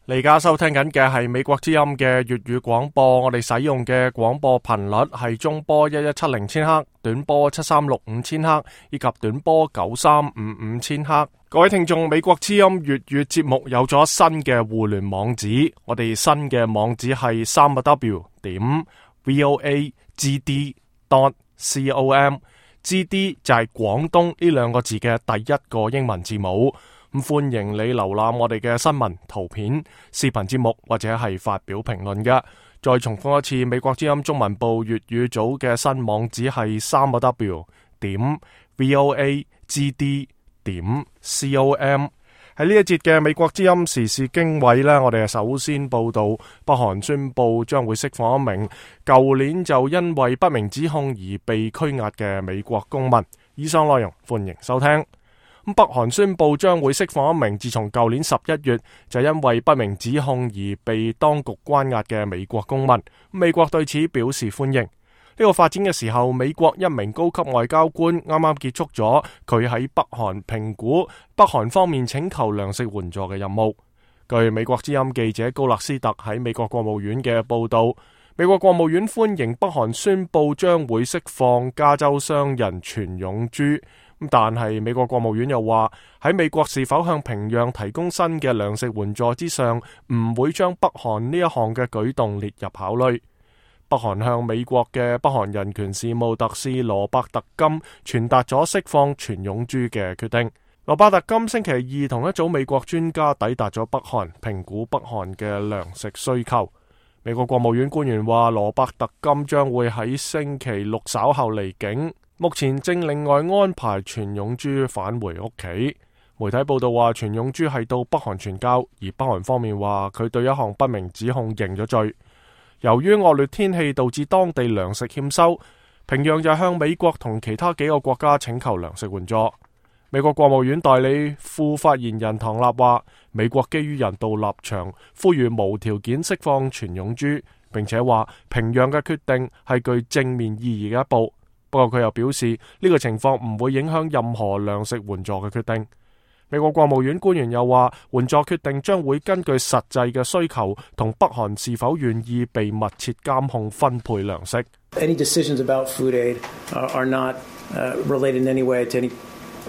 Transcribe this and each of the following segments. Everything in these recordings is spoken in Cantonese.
你而家收聽緊嘅係美國之音嘅粵語廣播，我哋使用嘅廣播頻率係中波1170千赫、短波7365千赫以及短波9355千赫。各位聽眾，美國之音粵語節目有咗新嘅互聯網址，我哋新嘅網址係www.voagd.com，GD 就係廣東呢兩個字嘅第一個英文字母。咁歡迎你瀏覽我哋嘅新聞、圖片、視頻節目或者係發表評論嘅。再重複一次，美國之音中文部粵語組嘅新網址係www.voagd.com。喺呢一節嘅美國之音時事經緯呢，我哋首先報道北韓宣布將會釋放一名舊年就因為不明指控而被拘押嘅美國公民。以上內容歡迎收聽。北韓宣布將會釋放一名自從舊年11月就因為不明指控而被當局關押嘅美國公民。美國對此表示歡迎。呢個發展嘅時候，美國一名高級外交官啱啱結束咗佢喺北韓評估北韓方面請求糧食援助嘅任務。據美國之音記者高勒斯特喺美國國務院嘅報道，美國國務院歡迎北韓宣布將會釋放加州商人全勇珠。但係美國國務院又話，喺美國是否向平壤提供新嘅糧食援助之上，唔會將北韓呢一項嘅舉動列入考慮。北韓向美國嘅北韓人權事務特使羅伯特金傳達咗釋放全勇珠嘅決定。羅伯特金星期二同一組美國專家抵達咗北韓，評估北韓嘅糧食需求。美國國務院官員話，羅伯特金將會喺星期六稍後離境。目前正另外安排全勇珠返回屋企。媒體報道話，全勇珠係到北韓傳教，而北韓方面話佢對一項不明指控認咗罪。由於惡劣天氣導致當地糧食欠收，平壤就向美國同其他幾個國家請求糧食援助。美國國務院代理副發言人唐納話，美國基於人道立場，呼籲無條件釋放全勇珠，並且話平壤嘅決定係具正面意義嘅一步。不過佢又表示，呢個情況唔會影響任何糧食援助嘅決定。美國國務院官員又話，援助決定將會根據實際嘅需求同北韓是否願意被密切監控分配糧食。Any decisions about food aid are not related in any way to any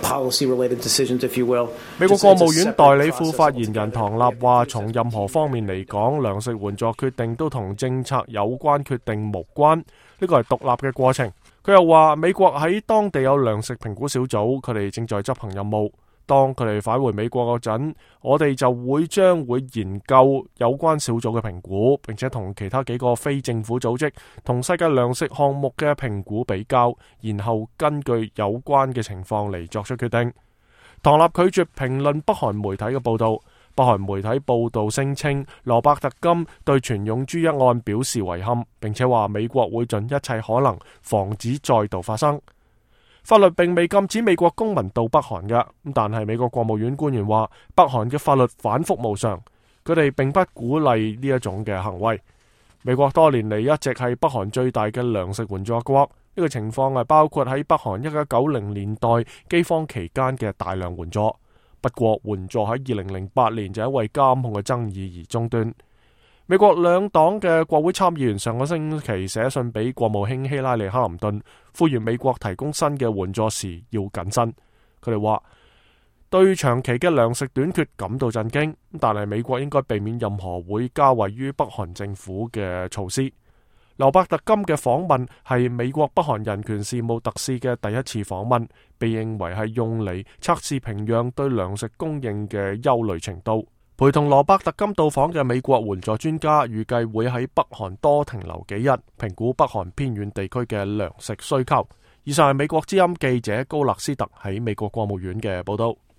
policy-related decisions, if you will. 美國國務院代理副發言人唐納話，從任何方面嚟講，糧食援助決定都同政策有關決定無關，呢個係獨立嘅過程。佢又話，美國喺當地有糧食評估小組，佢哋正在執行任務。當佢哋返回美國嗰陣，我哋就將會研究有關小組嘅評估，並且同其他幾個非政府組織同世界糧食項目嘅評估比較，然後根據有關嘅情況嚟作出決定。唐納拒絕評論北韓媒體嘅報道。北韓媒體報道聲稱，羅伯特金對全勇珠一案表示遺憾，並且話美國會盡一切可能防止再度發生。法律並未禁止美國公民到北韓嘅，但係美國國務院官員話，北韓嘅法律反覆無常，佢哋並不鼓勵呢一種嘅行為。美國多年嚟一直係北韓最大嘅糧食援助國，呢個情況係包括喺北韓1990年代饑荒期間嘅大量援助。不過援助喺2008年就因為監控嘅爭議而中斷。美國兩黨嘅國會參議員上個星期寫信俾國務卿希拉里克林頓，呼籲美國提供新嘅援助時要謹慎。佢哋話對長期嘅糧食短缺感到震驚，但係美國應該避免任何會加惠於北韓政府嘅措施。羅伯特金嘅訪問係美國北韓人權事務特使嘅第一次訪問，被認為係用嚟測試平壤對糧食供應嘅憂慮程度。陪同羅伯特金到訪嘅美國援助專家預計會喺北韓多停留幾日，評估北韓偏遠地區嘅糧食需求。以上係美國之音記者高勒斯特喺美國國務院嘅報道。